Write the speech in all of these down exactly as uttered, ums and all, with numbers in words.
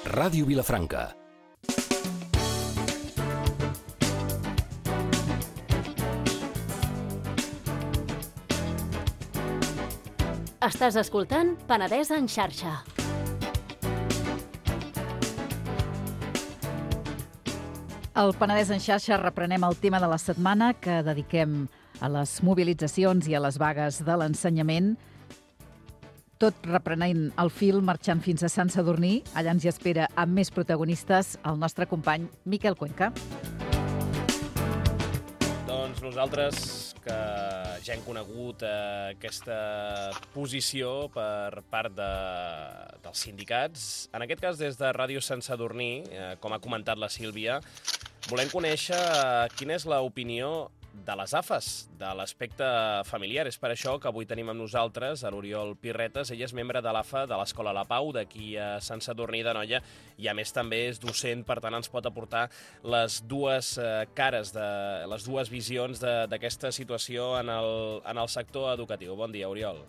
Ràdio Vilafranca. Estàs escoltant Penedès en xarxa. Al Penedès en xarxa reprenem el tema de la setmana que dediquem a les mobilitzacions i a les vagues de l'ensenyament. Tot reprenent el fil, marxant fins a Sant Sadurní. Allà ens hi espera amb més protagonistes el nostre company Miquel Cuenca. Doncs nosaltres, que ja hem conegut eh, aquesta posició per part de, dels sindicats, en aquest cas des de Ràdio Sant Sadurní, eh, com ha comentat la Sílvia, volem conèixer eh, quina és l'opinió de les A F As, de l'aspecte familiar. És per això que avui tenim amb nosaltres a l'Oriol Pirretes. Ell és membre de l'A F A de l'Escola La Pau, d'aquí a Sant Sadurní d'Anoia, i a més també és docent, per tant ens pot aportar les dues eh, cares, de, les dues visions d'aquesta situació en el, en el sector educatiu. Bon dia, Oriol.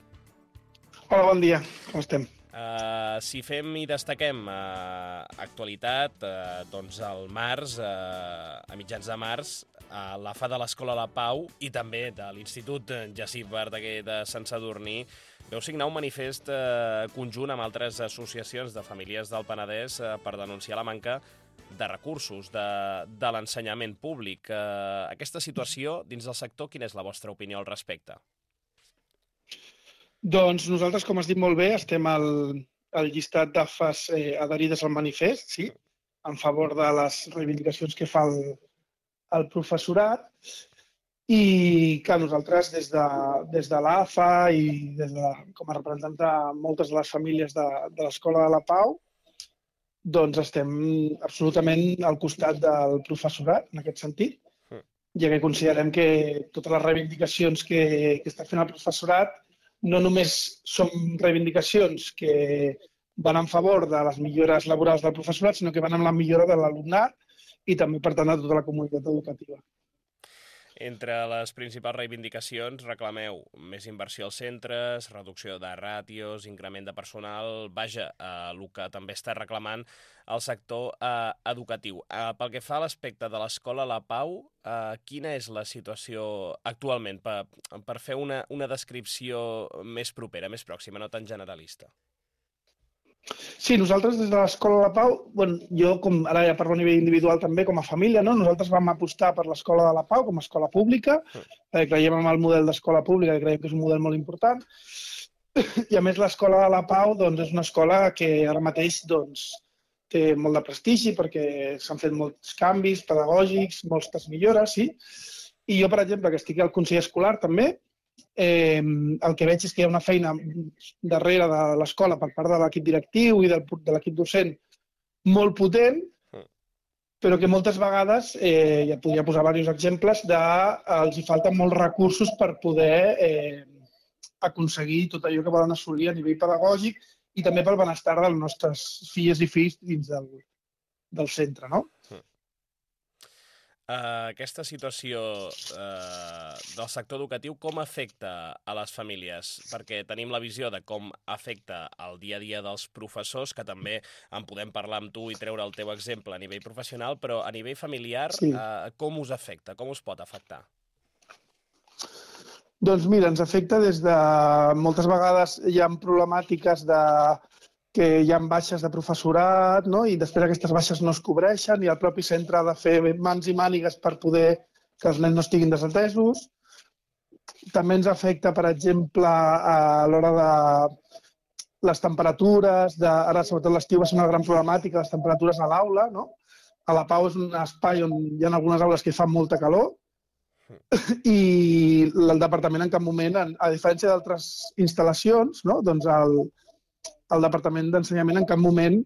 Hola, bon dia. Com estem? Uh, si fem i destaquem uh, actualitat, uh, doncs al març, uh, a mitjans de març, uh, l'A F A de l'Escola La Pau i també de l'Institut Jacint Verdaguer de Sant Sadurní veu signar un manifest uh, conjunt amb altres associacions de famílies del Penedès uh, per denunciar la manca de recursos de, de l'ensenyament públic. Uh, aquesta situació dins del sector, quina és la vostra opinió al respecte? Doncs nosaltres, com has dit molt bé, estem al, al llistat d'A F As eh, adherides al manifest, sí, en favor de les reivindicacions que fa el, el professorat. I que nosaltres, des de, des de l'A F A i des de, com a representant de moltes de les famílies de, de l'Escola de la Pau, doncs estem absolutament al costat del professorat, en aquest sentit, ja que considerem que totes les reivindicacions que, que està fent el professorat no només són reivindicacions que van en favor de les millores laborals del professorat, sinó que van amb la millora de l'alumnat i també, per tant, de tota la comunitat educativa. Entre les principals reivindicacions reclameu més inversió als centres, reducció de ràtios, increment de personal, vaja, eh, el que també està reclamant el sector eh, educatiu. Eh, pel que fa a l'aspecte de l'Escola La Pau, eh, quina és la situació actualment, per, per fer una, una descripció més propera, més pròxima, no tan generalista? Sí, nosaltres des de l'Escola La Pau, bueno, jo com ara ja parlo a nivell individual també com a família, no? Nosaltres vam apostar per l'Escola de La Pau com a escola pública, eh, creiem en el model d'escola pública, que creiem que és un model molt important, i a més l'Escola de La Pau doncs, és una escola que ara mateix doncs, té molt de prestigi perquè s'han fet molts canvis pedagògics, moltes millores, sí, i jo, per exemple, que estic al Consell Escolar també, Eh, el que veig és que hi ha una feina darrere de l'escola per part de l'equip directiu i del, de l'equip docent molt potent, però que moltes vegades, eh, ja podria posar diversos exemples, de, els hi falten molts recursos per poder eh, aconseguir tot allò que volen assolir a nivell pedagògic i també pel benestar dels nostres filles i fills dins del, del centre, no? Uh, aquesta situació uh, del sector educatiu com afecta a les famílies? Perquè tenim la visió de com afecta el dia a dia dels professors, que també en podem parlar amb tu i treure el teu exemple a nivell professional, però a nivell familiar, sí. uh, com us afecta? Com us pot afectar? Doncs mira, ens afecta des de... Moltes vegades hi ha problemàtiques de... que hi ha baixes de professorat, no? I després aquestes baixes no es cobreixen i el propi centre ha de fer mans i mànigues per poder que els nens no estiguin desatesos. També ens afecta, per exemple, a l'hora de les temperatures, de... ara sobretot l'estiu va ser una gran problemàtica, les temperatures a l'aula, no? A la Pau és un espai on hi ha algunes aules que fan molta calor i el departament en cap moment, a diferència d'altres instal·lacions, no? Doncs el el Departament d'Ensenyament en cap moment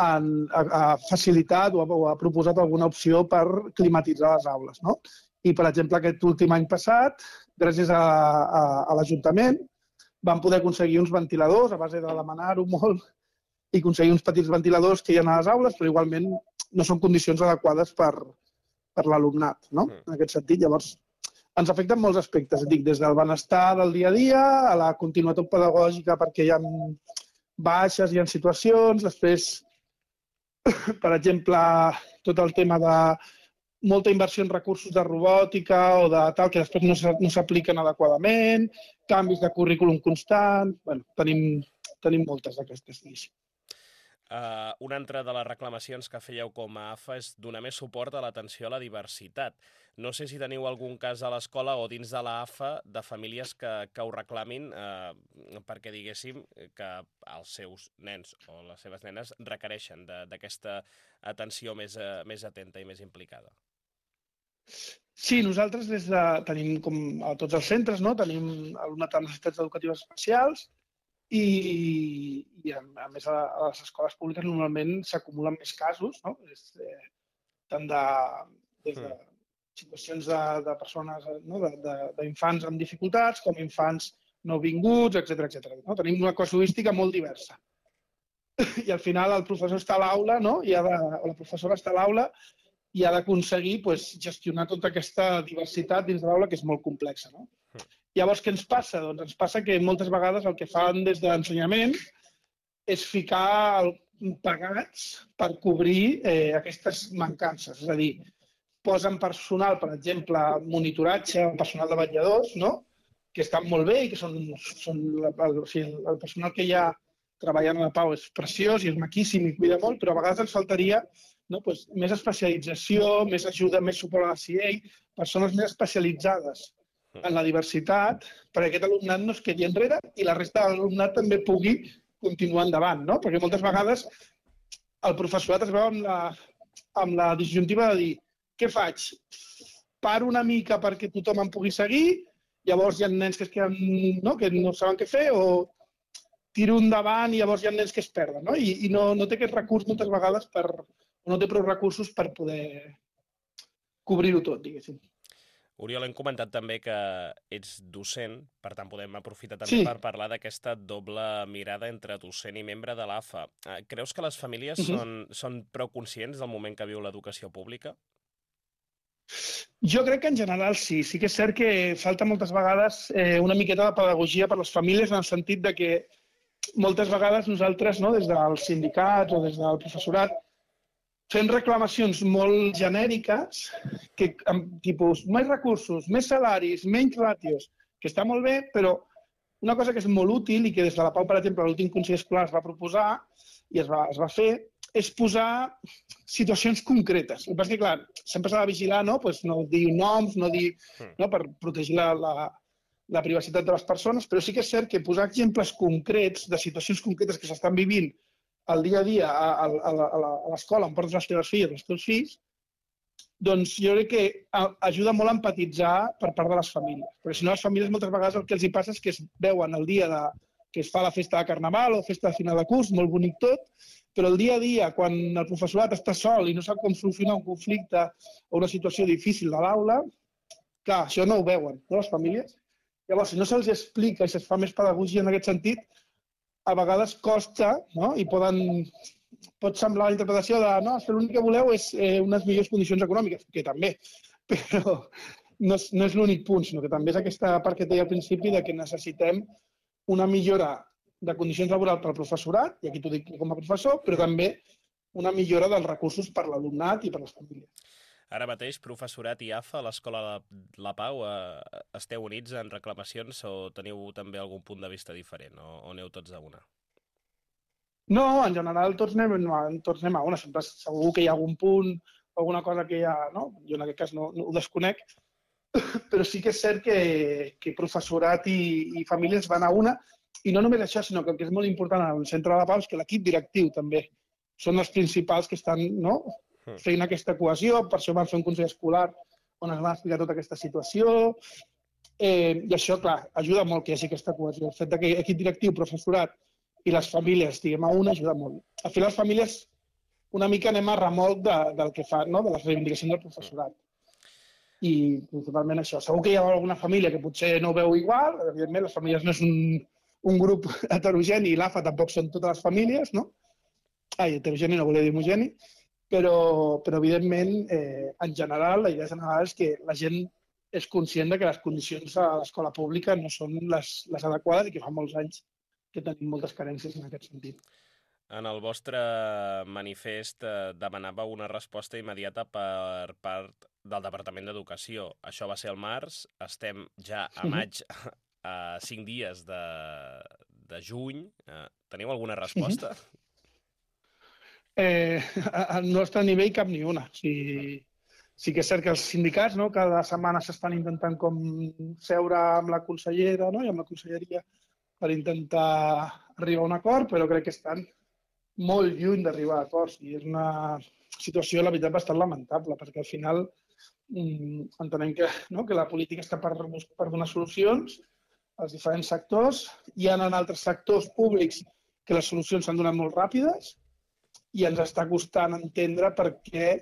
han, ha, ha facilitat o ha, o ha proposat alguna opció per climatitzar les aules, no? I, per exemple, aquest últim any passat, gràcies a, a, a l'Ajuntament, vam poder aconseguir uns ventiladors a base de demanar-ho molt i aconseguir uns petits ventiladors que hi ha a les aules, però igualment no són condicions adequades per, per l'alumnat, no? En aquest sentit, llavors, ens afecten molts aspectes, dic, des del benestar del dia a dia a la continuïtat pedagògica perquè hi ha baixes, hi ha situacions, després per exemple, tot el tema de molta inversió en recursos de robòtica o de tal, que després no s'apliquen adequadament, canvis de currículum constant... Bueno, tenim, tenim moltes d'aquestes, diguéssim. Uh, una altra de les reclamacions que fèieu com a A F A és donar més suport a l'atenció a la diversitat. No sé si teniu algun cas a l'escola o dins de la A F A de famílies que, que ho reclamin uh, perquè diguéssim que els seus nens o les seves nenes requereixen d'aquesta atenció més, uh, més atenta i més implicada. Sí, nosaltres des de, tenim, com a tots els centres, no? Tenim alumnat amb necessitats educatives especials i, i a, a més a, a les escoles públiques normalment s'acumulen més casos, no? És, eh, tant de, des de situacions de, de persones, no? d'infants amb dificultats com infants nouvinguts, etcètera, etcètera. No? Tenim una casuística molt diversa. I al final el professor està a l'aula, no? I ha de, o la professora està a l'aula i ha d'aconseguir pues, gestionar tota aquesta diversitat dins de l'aula, que és molt complexa. No? Llavors, què ens passa? Doncs ens passa que moltes vegades el que fan des de l'ensenyament és ficar el, pagats per cobrir eh, aquestes mancances. És a dir, posen personal, per exemple, monitoratge, personal de vetlladors, no? Que estan molt bé i que són, són el, o sigui, el personal que hi ha treballant a la Pau és preciós i és maquíssim i cuida molt, però a vegades ens faltaria no, pues, més especialització, més ajuda, més suport a la C I E I, persones més especialitzades en la diversitat, perquè aquest alumnat no es quedi enrere i la resta de l'alumnat també pugui continuar endavant, no? Perquè moltes vegades el professorat es veu amb la, amb la disjuntiva de dir què faig? Paro una mica perquè tothom em pugui seguir, llavors hi ha nens que es queden, no, que no saben què fer, o tiro endavant i llavors hi ha nens que es perden, no? I, i no, no té aquest recurs moltes vegades per... no té prou recursos per poder cobrir-ho tot, diguéssim. Oriol, hem comentat també que ets docent, per tant podem aprofitar també sí. per parlar d'aquesta doble mirada entre docent i membre de l'A F A. Creus que les famílies uh-huh. són, són prou conscients del moment que viu l'educació pública? Jo crec que en general sí. Sí que és cert que falta moltes vegades eh, una miqueta de pedagogia per a les famílies en el sentit de que moltes vegades nosaltres, no, des dels sindicats o des del professorat, fem reclamacions molt genèriques, que, amb tipus més recursos, més salaris, menys ràtios, que està molt bé, però una cosa que és molt útil i que des de la Pau, per exemple, l'últim Consell Escolar es va proposar i es va, es va fer, és posar situacions concretes. El que passa és que, clar, sempre s'ha de vigilar, no? Pues no dir noms, no dir... No? Per protegir la, la, la privacitat de les persones, però sí que és cert que posar exemples concrets de situacions concretes que s'estan vivint el dia a dia a, a, a l'escola on portes les teves filles, els teus fills, doncs jo crec que ajuda molt a empatitzar per part de les famílies. Perquè si no, les famílies moltes vegades el que els hi passa és que es veuen el dia de, que es fa la festa de Carnaval o festa de final de curs, molt bonic tot, però el dia a dia, quan el professorat està sol i no sap com solucionar un conflicte o una situació difícil de l'aula, clar, això no ho veuen, no, les famílies. Llavors, si no se'ls explica i se'ls fa més pedagogia en aquest sentit, a vegades costa, no? I poden, pot semblar la interpretació de no, que l'únic que voleu és eh, unes millors condicions econòmiques, que també, però no és, no és l'únic punt, sinó que també és aquesta part que et deia al principi de que necessitem una millora de condicions laborals per al professorat, i aquí t'ho dic com a professor, però també una millora dels recursos per a l'alumnat i per a les famílies. Ara mateix, professorat i A F A, a l'Escola La Pau, eh, esteu units en reclamacions o teniu també algun punt de vista diferent o, o aneu tots a una? No, en general tots anem, tots anem a una. Sempre segur que hi ha algun punt, alguna cosa que hi ha... No? Jo en aquest cas no, no ho desconec, però sí que és cert que, que professorat i, i famílies van a una, i no només això, sinó que el que és molt important al centre de La Pau és que l'equip directiu també són els principals que estan, no?, fent aquesta cohesió, per això van fer un consell escolar on es va explicar tota aquesta situació, eh, i això, clar, ajuda molt que hi hagi aquesta cohesió. El fet que equip directiu, professorat i les famílies estiguem a una ajuda molt. Al final, les famílies una mica anem a remolc de, del que fa, no?, de les reivindicacions del professorat. I principalment això. Segur que hi ha alguna família que potser no ho veu igual, evidentment, les famílies no és un, un grup heterogeni i l'A F A tampoc són totes les famílies, no? Ai, heterogeni no volia dir homogeni, però, però evidentment, eh, en general, la idea general és que la gent és conscient de que les condicions a l'escola pública no són les, les adequades i que fa molts anys que tenim moltes carències en aquest sentit. En el vostre manifest eh, demanàveu una resposta immediata per part del Departament d'Educació. Això va ser al març, estem ja a maig, a cinc dies de, de juny. Eh, teniu alguna resposta? Eh, al nostre nivell cap ni una. O sigui, sí que és cert que els sindicats, no, cada setmana s'estan intentant com seure amb la consellera, no, i amb la conselleria per intentar arribar a un acord, però crec que estan molt lluny d'arribar a acords. I és una situació, la veritat, bastant lamentable, perquè al final mm, entenem que, no, que la política està per, per donar solucions als diferents sectors. Hi ha en altres sectors públics que les solucions s'han donat molt ràpides i ens està costant entendre per què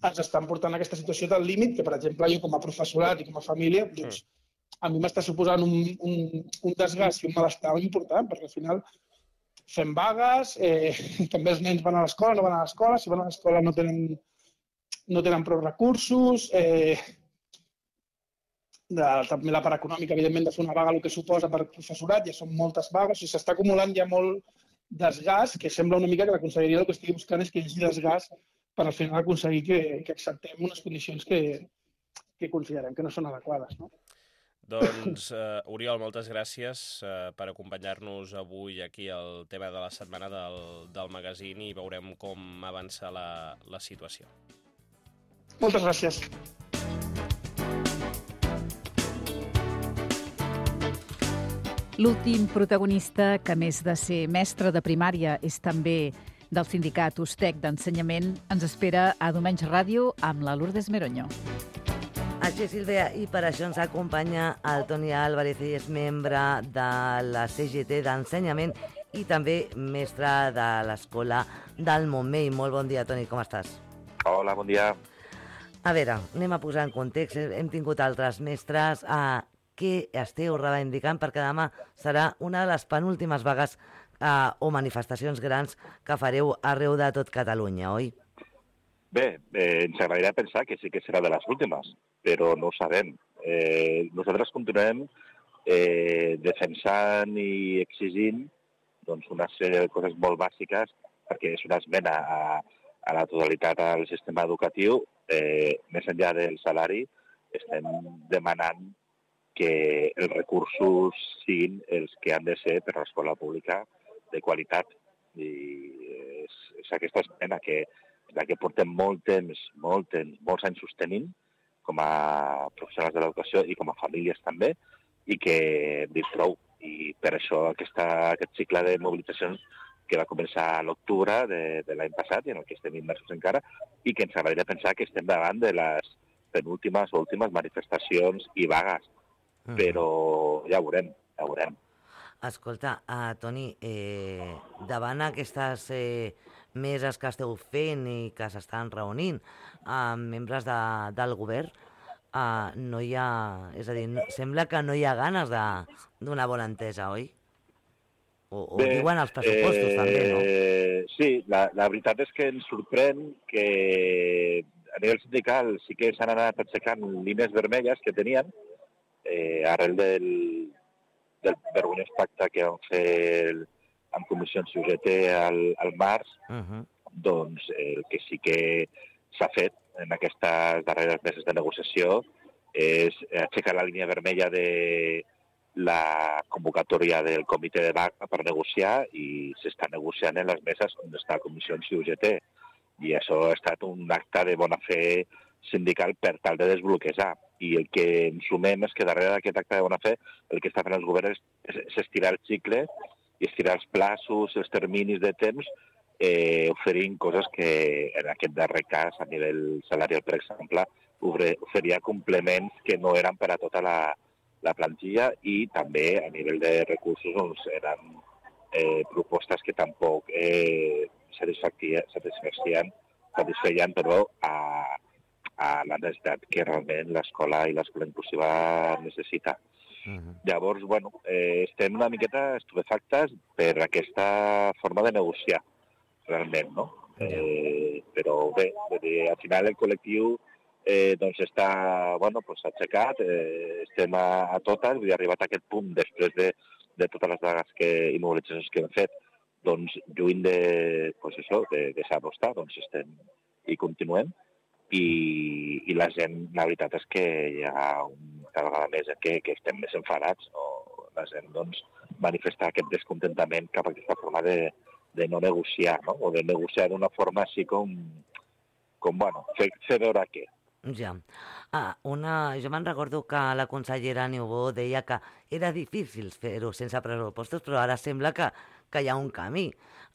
ens estan portant a aquesta situació del límit, que, per exemple, jo com a professorat i com a família, doncs, a mi m'està suposant un, un, un desgast i un malestar important, perquè al final fem vagues, eh, també els nens van a l'escola, no van a l'escola, si van a l'escola no tenen, no tenen prou recursos, eh, de, també la part econòmica, evidentment, de fer una vaga, el que suposa per professorat, ja són moltes vagues, o sigui, s'està acumulant ja molt desgast, que sembla una mica que la conselleria el que estigui buscant és que hi hagi desgast per al final aconseguir que, que acceptem unes condicions que, que considerem que no són adequades, no? Doncs, uh, Oriol, moltes gràcies uh, per acompanyar-nos avui aquí al tema de la setmana del, del magazín i veurem com avança la, la situació. Moltes gràcies. L'últim protagonista, que a més de ser mestre de primària és també del sindicat Ustec d'Ensenyament, ens espera a Diumenge Ràdio amb la Lourdes Meroño. Així, Sílvia, i per això ens acompanya el Toni Álvarez, i és membre de la C G T d'Ensenyament i també mestre de l'Escola del Montmell. Molt bon dia, Toni, com estàs? Hola, bon dia. A veure, anem a posar en context. Hem tingut altres mestres. A què esteu reivindicant? Perquè demà serà una de les penúltimes vagues eh, o manifestacions grans que fareu arreu de tot Catalunya, oi? Bé, eh, ens agradaria pensar que sí que serà de les últimes, però no ho sabem. Eh, nosaltres continuem eh, defensant i exigint doncs, una sèrie de coses molt bàsiques, perquè és una esmena a, a la totalitat al sistema educatiu. Eh, més enllà del salari, estem demanant que els recursos siguin els que han de ser per a l'escola pública de qualitat. I és, és aquesta esmena que la que portem molt temps, molt temps, molts anys sostenint, com a professionals de l'educació i com a famílies també, i que hem dit prou. I per això aquesta, aquest cicle de mobilitzacions que va començar a l'octubre de, de l'any passat, i en el que estem immersos encara, i que ens agradaria pensar que estem davant de les penúltimes o últimes manifestacions i vagues. Uh-huh. Però ja ho veurem, ja ho veurem. Escolta, uh, Toni, eh, davant aquestes eh, meses que esteu fent i que s'estan reunint amb uh, membres de, del govern, uh, no hi ha... És a dir, no, sembla que no hi ha ganes d'una bona entesa, oi? O, o Bé, diuen els pressupostos, eh, també, no? Sí, la, la veritat és que ens sorprèn que a nivell sindical sí que s'han anat aixecant línies vermelles que tenien eh, arrel del, del vergonyós pacte que vam fer amb comissions U G T al, al març, uh-huh. Doncs el que sí que s'ha fet en aquestes darreres meses de negociació és aixecar la línia vermella de la convocatòria del comitè de vaga per negociar, i s'està negociant en les meses on està comissions i U G T. I això ha estat un acte de bona fe sindical per tal de desbloquejar. I el que ens sumem és que darrere d'aquest acte de bona fe el que està fent els governs és, és estirar el cicle i estirar els plaços, els terminis de temps, eh, oferint coses que en aquest darrer cas, a nivell salarial, per exemple, oferia complements que no eren per a tota la, la plantilla, i també a nivell de recursos doncs, eren eh, propostes que tampoc eh, satisfeien, satisfeien, satisfeien però, a, a la necessitat que realment l'escola i l'escola inclusiva necessita. Uh-huh. Llavors, bueno, eh, estem una miqueta estupefactes per aquesta forma de negociar, realment, no? Eh, però bé, al final el col·lectiu eh, doncs està, bueno, pues, aixecat, eh, estem a, a totes, vull dir, arribat a aquest punt després de, de totes les vagues que, i mobilitzacions que hem fet, doncs, lluny de, pues això, de deixar-lo estar, doncs estem i continuem. I, i la gent, la veritat és que hi ha un, cada vegada més que, que estem més enfadats, no? La gent doncs, manifesta aquest descontentament cap a aquesta forma de, de no negociar, no? O de negociar d'una forma així com, com bueno, fer, fer veure què. Ja. Ah, una... Jo me'n recordo que la consellera Niubó deia que era difícil fer-ho sense pressupostos, però ara sembla que, que hi ha un camí.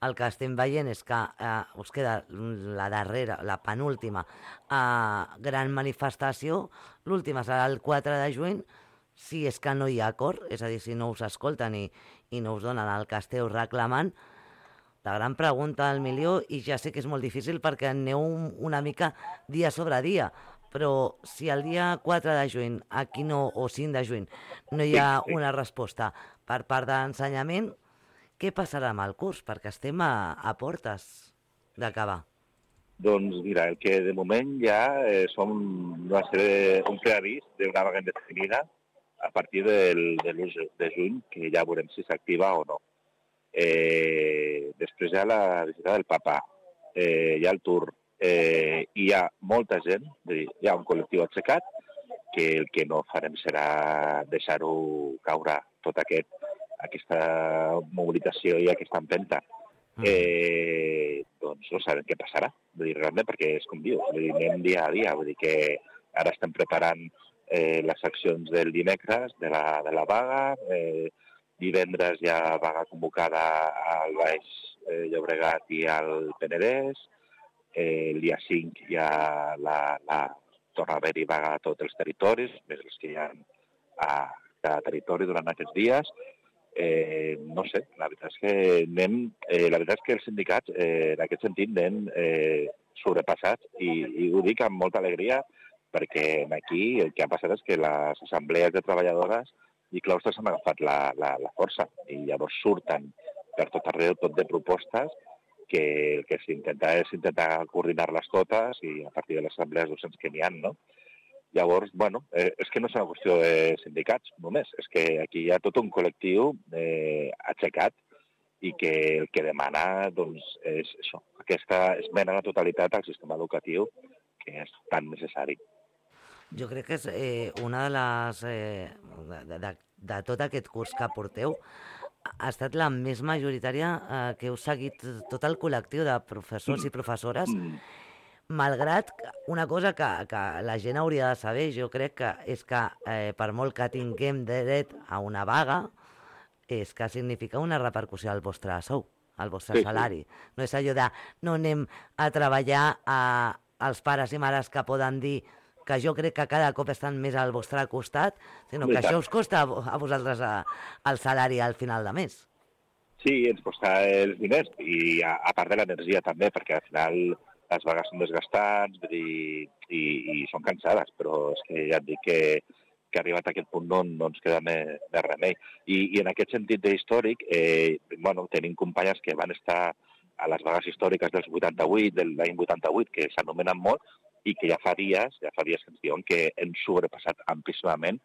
El que estem veient és que eh, us queda la darrera, la penúltima eh, gran manifestació. L'última serà el quatre de juny, si és que no hi ha acord, és a dir, si no us escolten i, i no us donen el que esteu reclamant. La gran pregunta al milió, i ja sé que és molt difícil perquè aneu una mica dia sobre dia, però si el dia quatre de juny, aquí no, o cinc de juny, no hi ha una resposta per part d'ensenyament, què passarà amb el curs? Perquè estem a, a portes d'acabar. Doncs mira, el que de moment ja eh, som una sèrie, un preavís d'una vaga indefinida a partir del, de l'u de juny, que ja veurem si s'activa o no. Eh, després hi ha la visita del Papa, eh, hi ha el Tour, eh, hi ha molta gent, hi ha un col·lectiu aixecat, que el que no farem serà deixar-ho caure tot aquest, aquesta mobilització i aquesta empenta. Eh, doncs no sabem què passarà, vull dir, realment, perquè és com dius, vull dir, anem dia a dia, vull dir que ara estem preparant eh, les accions del dimecres de la, de la vaga, eh, divendres hi ha vaga convocada al Baix eh, Llobregat i al Penedès, eh, el dia cinc hi ha la, la torna a haver-hi vaga a tots els territoris, més els que hi ha a cada territori durant aquests dies. Eh, no sé, la veritat és que anem, eh, la veritat és que els sindicats eh, en aquest sentit anem eh, sobrepassats i, i ho dic amb molta alegria perquè aquí el que ha passat és que les assemblees de treballadores i claustres han agafat la, la, la força i llavors surten per tot arreu tot de propostes que el que s'intenta és intentar coordinar-les totes i a partir de les assemblees docents que n'hi ha, no? Llavors, bueno, eh, és que no és una qüestió de sindicats només, és que aquí hi ha tot un col·lectiu eh, aixecat i que el que demana doncs, és això, aquesta esmena a la totalitat al sistema educatiu que és tan necessari. Jo crec que és eh, una de les... Eh, de, de, de tot aquest curs que porteu, ha estat la més majoritària eh, que heu seguit tot el col·lectiu de professors i professores, malgrat una cosa que, que la gent hauria de saber, jo crec que és que eh, per molt que tinguem dret a una vaga, és que significa una repercussió al vostre sou, al vostre sí, salari. Sí. No és allò de no anem a treballar a, als pares i mares que poden dir que jo crec que cada cop estan més al vostre costat, sinó que això us costa a vosaltres a, el salari al final de mes. Sí, ens costa els diners i a, a part de l'energia també, perquè al final les vagues són desgastants i, i, i són cansades, però és que ja et dic que, que arribat a aquest punt no, no ens queda més, més remei. I, I en aquest sentit d'històric, eh, bueno, tenim companyes que van estar a les vagues històriques dels vuitanta-vuit, de l'any vuitanta-vuit, que s'anomenen molt, i que ja fa dies, ja fa dies que ens diuen que hem sobrepassat amplíssimament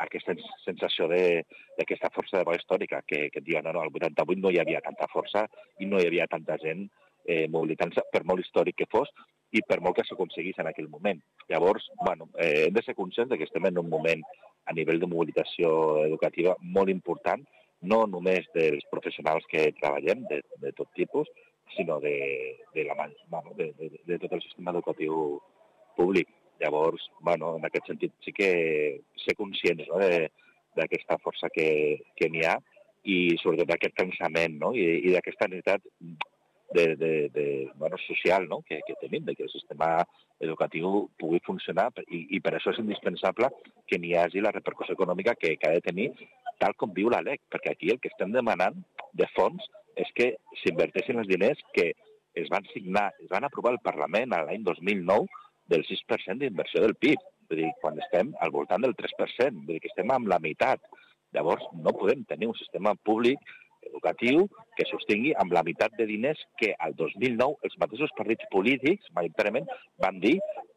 aquesta sensació d'aquesta força de vaga històrica, que, que diuen, no, no, al vuitanta-vuit no hi havia tanta força i no hi havia tanta gent eh, mobilitant-se, per molt històric que fos, i per molt que s'aconseguís en aquell moment. Llavors, bueno, eh, hem de ser conscients que estem en un moment a nivell de mobilització educativa molt important, no només dels professionals que treballem, de, de tot tipus, sinó de, de, la, bueno, de, de, de tot el sistema educatiu públic. Llavors, bueno, en aquest sentit sí que ser conscients, no, d'aquesta força que, que n'hi ha i sobretot d'aquest cansament, no, i, i d'aquesta necessitat de, de, de, bueno, social, no, que, que tenim, de que el sistema educatiu pugui funcionar i, i per això és indispensable que n'hi hagi la repercussió econòmica que, que ha de tenir tal com viu la L E C, perquè aquí el que estem demanant de fons és que s'inverteixin els diners que es van signar, es van aprovar al Parlament l'any dos mil nou del sis per cent d'inversió del P I B, vull dir, quan estem al voltant del tres per cent, vull dir que estem amb la meitat. Llavors no podem tenir un sistema públic educatiu que sostingui amb la meitat de diners que al dos mil nou els mateixos partits polítics majoritàriament van dir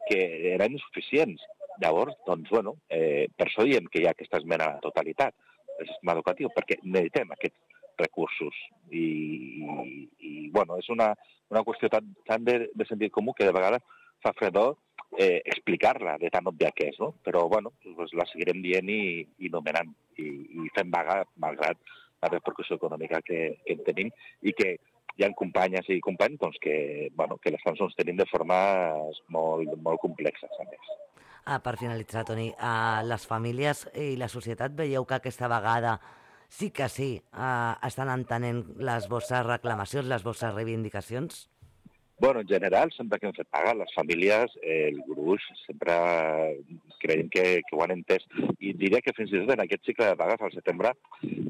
que eren insuficients. Llavors, doncs, bueno, eh, per això diem que hi ha aquesta esmena a la totalitat del sistema educatiu, perquè necessitem aquest recursos. I, i, i bueno, és una, una qüestió tan, tan de, de sentit comú que de vegades fa fredor eh, explicar-la de tan òbvia que és, no? Però, bueno, pues la seguirem dient i, i nomenant i, i fent vaga, malgrat la repercussió econòmica que, que en tenim i que hi ha companyes i companys doncs, que, bueno, que l'estan sostenint de formes molt, molt complexes, a més. Ah, per finalitzar, Toni, uh, les famílies i la societat veieu que aquesta vegada sí que sí uh, estan entenent les vostres reclamacions, les vostres reivindicacions? Bueno, en general, sempre que hem fet pagar, les famílies, eh, el gruix, sempre creiem que, que ho han entès. I diria que fins i tot en aquest cicle de pagues, al setembre,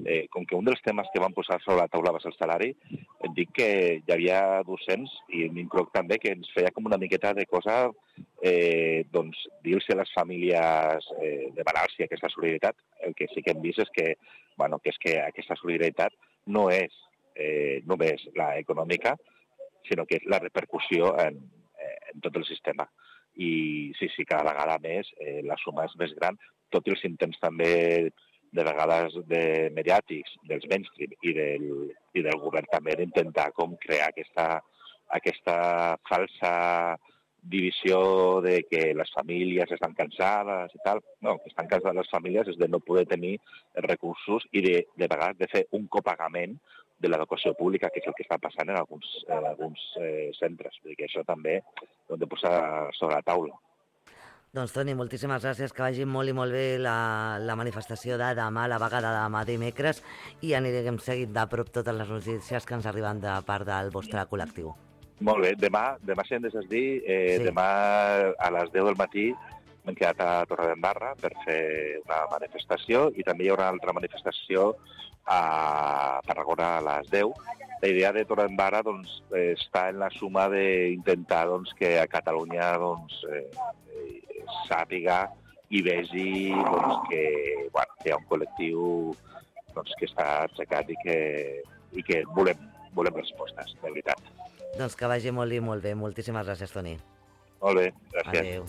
eh, com que un dels temes que van posar sobre la taula va ser el salari, et dic que hi havia docents, i m'incloc també, que ens feia com una miqueta de cosa, eh, doncs, dir-los a les famílies, eh, demanar-los aquesta solidaritat. El que sí que hem vist és que, bueno, que, és que aquesta solidaritat no és eh, només la econòmica, sinó que és la repercussió en, en tot el sistema. I sí, sí, cada vegada més eh, la suma és més gran, tot i els intents també de vegades de mediàtics, dels mainstream i del, i del govern també d'intentar com crear aquesta, aquesta falsa divisió de que les famílies estan cansades i tal. No, que estan cansades les famílies és de no poder tenir recursos i de, de vegades de fer un copagament de l'educació pública, que és el que està passant en alguns, en alguns eh, centres. Vull dir que això també ho hem de posar sobre la taula. Doncs, Toni, moltíssimes gràcies, que vagi molt i molt bé la, la manifestació de demà, la vaga de demà dimecres, i anirem seguint de prop totes les notícies que ens arriben de part del vostre col·lectiu. Molt bé, demà, demà si hem de dir, eh, sí. Demà a les deu del matí m'hem quedat a Torredembarra per fer una manifestació i també hi haurà una altra manifestació a Tarragona a les deu. La idea de Torredembarra doncs, està en la suma d'intentar doncs, que a Catalunya doncs, eh, sàpiga i vegi doncs, que, bueno, que hi ha un col·lectiu doncs, que està aixecat i que, i que volem, volem respostes, de veritat. Doncs que vagi molt i molt bé. Moltíssimes gràcies, Toni. Molt bé, gràcies. Adéu.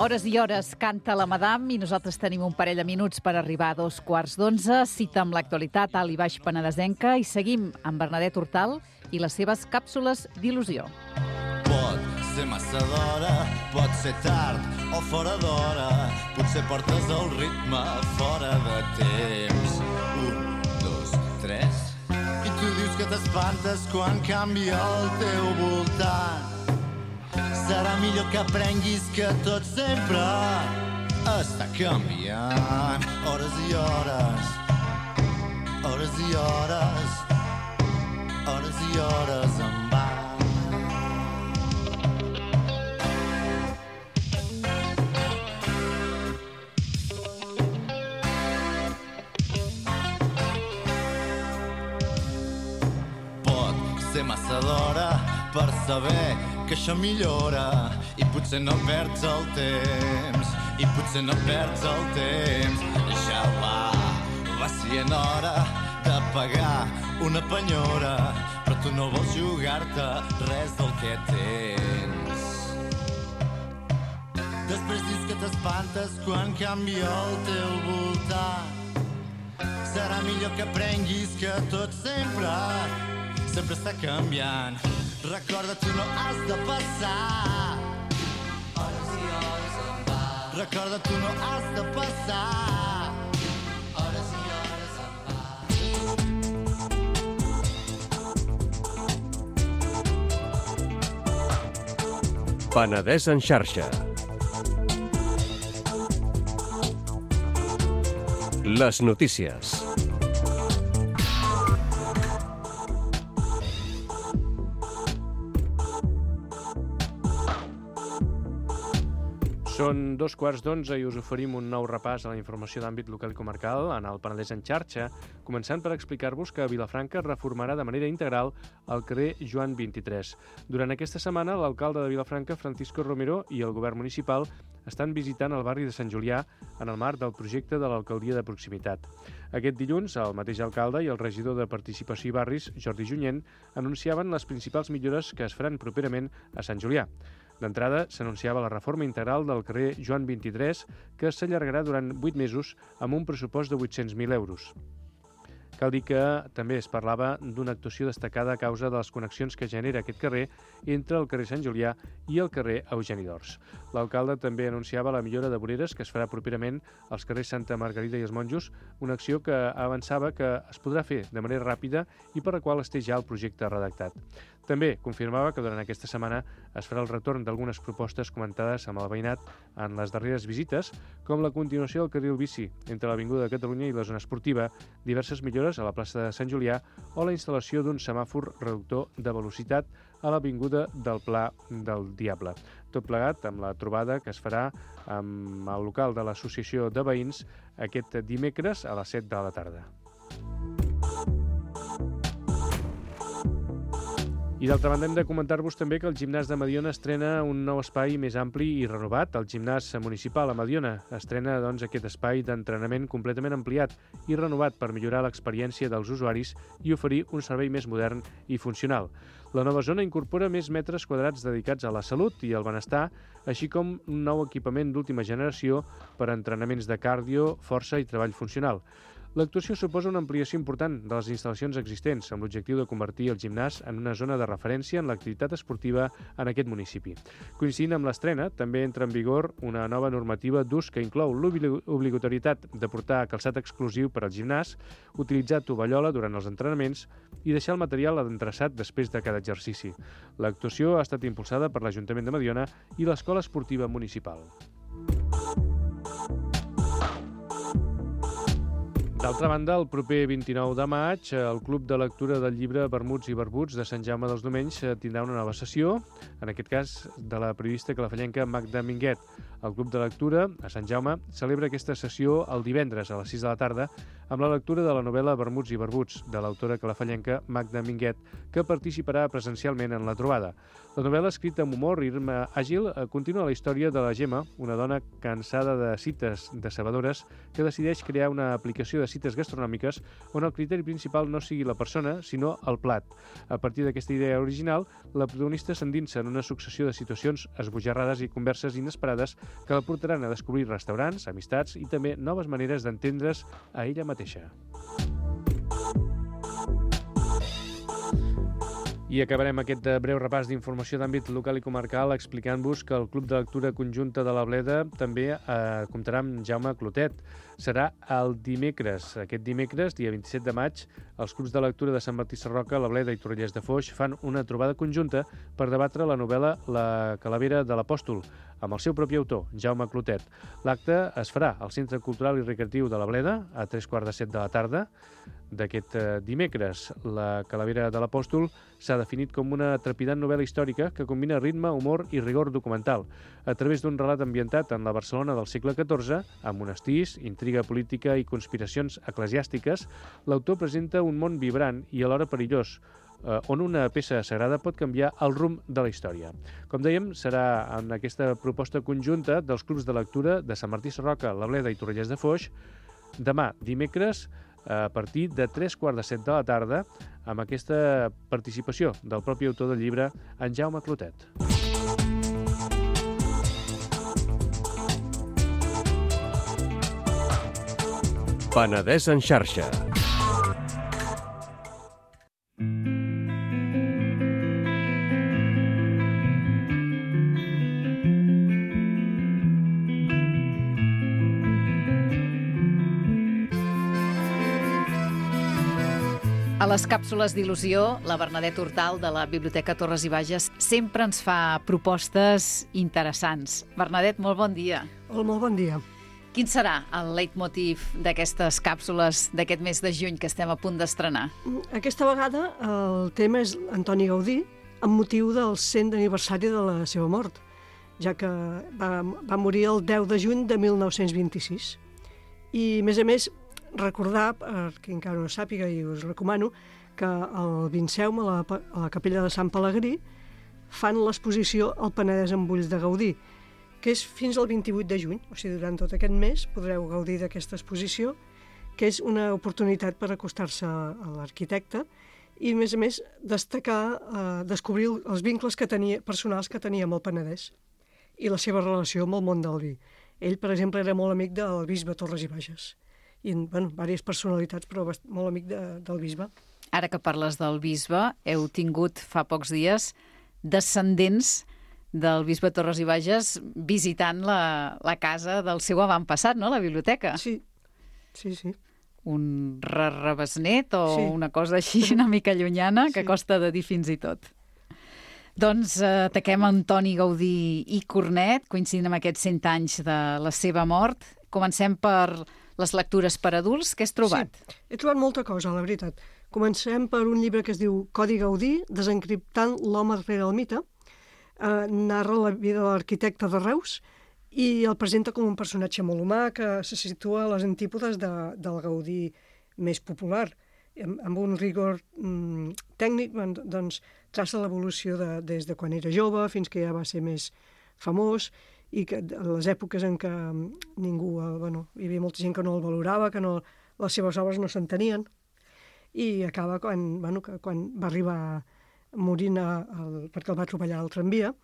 Hores i hores canta la Madame i nosaltres tenim un parell de minuts per arribar a dos quarts d'onze. Cita amb l'actualitat alt i baix penedesenca i seguim amb Bernadette Hurtal i les seves càpsules d'il·lusió. Pot ser massa d'hora, pot ser tard o fora d'hora, potser portes el ritme fora de temps. Un, dos, tres... I tu dius que t'espantes quan canvia el teu voltant. Serà millor que aprenguis que tot sempre està canviant. Hores i hores, hores i hores, hores i hores en va. Pot ser massa d'hora per saber que això millora i potser no perds el temps, i potser no perds el temps. Ja va, va sent hora de pagar una penyora, però tu no vols jugar-te res del que tens. Després dius que t'espantes quan canvia el teu voltant. Serà millor que aprenguis que tot sempre, sempre està canviant. Recorda, tu no has de passar hores i hores en va. Recorda, tu no has de passar hores i hores en va. Penedès en xarxa. Les notícies. Són dos quarts d'onze i us oferim un nou repàs a la informació d'àmbit local i comarcal en el Penedès en xarxa, començant per explicar-vos que Vilafranca reformarà de manera integral el carrer Joan vint-i-tres. Durant aquesta setmana, l'alcalde de Vilafranca, Francisco Romero, i el govern municipal estan visitant el barri de Sant Julià en el marc del projecte de l'alcaldia de proximitat. Aquest dilluns, el mateix alcalde i el regidor de Participació i Barris, Jordi Junyent, anunciaven les principals millores que es faran properament a Sant Julià. D'entrada, s'anunciava la reforma integral del carrer Joan vint-i-tres, que s'allargarà durant vuit mesos amb un pressupost de vuit-cents mil euros. Cal dir que també es parlava d'una actuació destacada a causa de les connexions que genera aquest carrer entre el carrer Sant Julià i el carrer Eugeni d'Ors. L'alcalde també anunciava la millora de voreres que es farà properament als carrers Santa Margarida i els Monjos, una acció que avançava que es podrà fer de manera ràpida i per la qual es té ja el projecte redactat. També confirmava que durant aquesta setmana es farà el retorn d'algunes propostes comentades amb el veïnat en les darreres visites, com la continuació del carril bici entre l'Avinguda de Catalunya i la zona esportiva, diverses millores a la plaça de Sant Julià o la instal·lació d'un semàfor reductor de velocitat a l'Avinguda del Pla del Diable. Tot plegat amb la trobada que es farà amb el local de l'Associació de Veïns aquest dimecres a les set de la tarda. I d'altra banda hem de comentar-vos també que el gimnàs de Mediona estrena un nou espai més ampli i renovat. El gimnàs municipal a Mediona estrena doncs, aquest espai d'entrenament completament ampliat i renovat per millorar l'experiència dels usuaris i oferir un servei més modern i funcional. La nova zona incorpora més metres quadrats dedicats a la salut i al benestar, així com un nou equipament d'última generació per a entrenaments de càrdio, força i treball funcional. L'actuació suposa una ampliació important de les instal·lacions existents, amb l'objectiu de convertir el gimnàs en una zona de referència en l'activitat esportiva en aquest municipi. Coincidint amb l'estrena, també entra en vigor una nova normativa d'ús que inclou l'obligatorietat de portar calçat exclusiu per al gimnàs, utilitzar tovallola durant els entrenaments i deixar el material adreçat després de cada exercici. L'actuació ha estat impulsada per l'Ajuntament de Mediona i l'Escola Esportiva Municipal. D'altra banda, el proper vint-i-nou de maig, el Club de Lectura del llibre Vermuts i Barbuts de Sant Jaume dels Domenys tindrà una nova sessió, en aquest cas de la periodista calafallenca Magda Minguet. El Club de Lectura, a Sant Jaume, celebra aquesta sessió el divendres a les sis de la tarda amb la lectura de la novel·la Vermuts i Barbuts, de l'autora calafallenca Magda Minguet, que participarà presencialment en la trobada. La novel·la, escrita amb humor i ritme àgil, continua la història de la Gemma, una dona cansada de cites decebedores que decideix crear una aplicació de cites gastronòmiques on el criteri principal no sigui la persona, sinó el plat. A partir d'aquesta idea original, la protagonista s'endinsa en una successió de situacions esbojarrades i converses inesperades que la portaran a descobrir restaurants, amistats i també noves maneres d'entendre's a ella mateixa. I acabarem aquest breu repàs d'informació d'àmbit local i comarcal explicant-vos que el Club de Lectura Conjunta de la Bleda també eh, comptarà amb Jaume Clotet. Serà el dimecres. Aquest dimecres, dia vint-i-set de maig, els clubs de lectura de Sant Martí Sarroca, la Bleda i Torrelles de Foix fan una trobada conjunta per debatre la novel·la La Calavera de l'Apòstol, amb el seu propi autor, Jaume Clotet. L'acte es farà al Centre Cultural i Recreatiu de la Bleda a tres quarts de set de la tarda d'aquest dimecres. La Calavera de l'Apòstol s'ha definit com una trepidant novel·la històrica que combina ritme, humor i rigor documental. A través d'un relat ambientat en la Barcelona del segle catorze, amb monestirs, intriga política i conspiracions eclesiàstiques, l'autor presenta un món vibrant i alhora perillós, on una peça sagrada pot canviar el rumb de la història. Com dèiem, serà en aquesta proposta conjunta dels clubs de lectura de Sant Martí Sarroca, la Bleda i Torrelles de Foix, demà, dimecres, a partir de tres quarts de set de la tarda, amb aquesta participació del propi autor del llibre, en Jaume Clotet. Penedès en xarxa. A les càpsules d'il·lusió, la Bernadette Hortal de la Biblioteca Torres i Bages sempre ens fa propostes interessants. Bernadette, molt bon dia. Hola, molt bon dia. Quin serà el leitmotiv d'aquestes càpsules d'aquest mes de juny que estem a punt d'estrenar? Aquesta vegada el tema és Antoni Gaudí, amb motiu del cent aniversari de la seva mort. ja que va, va morir el deu de juny de mil nou-cents vint-i-sis. I, a més a més, recordar, per qui encara no sàpiga, i us recomano, que al Vinceum, a la, a la capella de Sant Pelegrí, fan l'exposició El Penedès amb ulls de Gaudí, que és fins al vint-i-vuit de juny, o sigui, durant tot aquest mes podreu gaudir d'aquesta exposició, que és una oportunitat per acostar-se a l'arquitecte i, a més a més, destacar, eh, descobrir els vincles que tenia, personals que tenia amb el Penedès i la seva relació amb el món del vi. Ell, per exemple, era molt amic del bisbe Torres i Bages i, bueno, diverses personalitats, però molt amic de, del bisbe. Ara que parles del bisbe, heu tingut fa pocs dies descendents del bisbe Torres i Bages visitant la, la casa del seu avantpassat, no?, la biblioteca. Sí, sí, sí. Un rebesnet o sí. una cosa així una mica llunyana que sí. costa de dir fins i tot. Doncs eh, ataquem Antoni Gaudí i Cornet, coincidint amb aquests cent anys de la seva mort. Comencem per les lectures per adults. Què has trobat? Sí, he trobat molta cosa, la veritat. Comencem per un llibre que es diu Codi Gaudí, desencriptant l'home rere el mite. Eh, narra la vida de l'arquitecte de Reus i el presenta com un personatge molt humà que se situa a les antípodes de, del Gaudí més popular. Amb, amb un rigor mm, tècnic, doncs, traça l'evolució de, des de quan era jove fins que ja va ser més famós i que a les èpoques en què ningú, bueno, hi havia molta gent que no el valorava, que no, les seves obres no s'entenien, i acaba quan, bueno, que, quan va arribar morint a, a, perquè el va atropellar al tramvia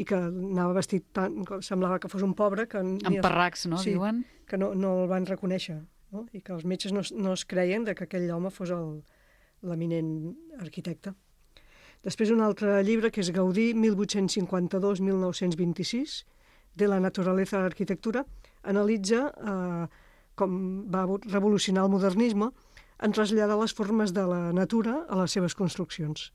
i que anava vestit tant, semblava que fos un pobre que... Amb parracs, no, sí, diuen? Que no, no el van reconèixer, no? I que els metges no, no es creien de que aquell home fos l'eminent arquitecte. Després un altre llibre que és Gaudí, mil vuit-cents cinquanta-dos a mil nou-cents vint-i-sis, de la naturaleza de l'arquitectura, analitza eh, com va revolucionar el modernisme en traslladar les formes de la natura a les seves construccions.